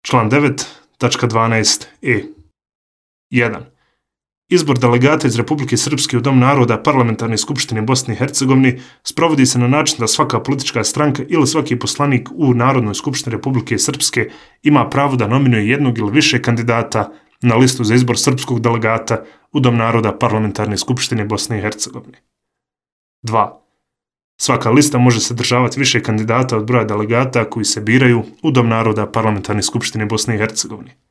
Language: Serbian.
Član 9.12e. 1. Izbor delegata iz Republike Srpske u Dom naroda Parlamentarne skupštine Bosne i Hercegovine sprovodi se na način da svaka politička stranka ili svaki poslanik u Narodnoj skupštini Republike Srpske ima pravo da nominuje jednog ili više kandidata na listu za izbor srpskog delegata u Dom naroda Parlamentarne skupštine Bosne i Hercegovine. 2. Svaka lista može sadržavati više kandidata od broja delegata koji se biraju u Dom naroda Parlamentarne skupštine Bosne i Hercegovine.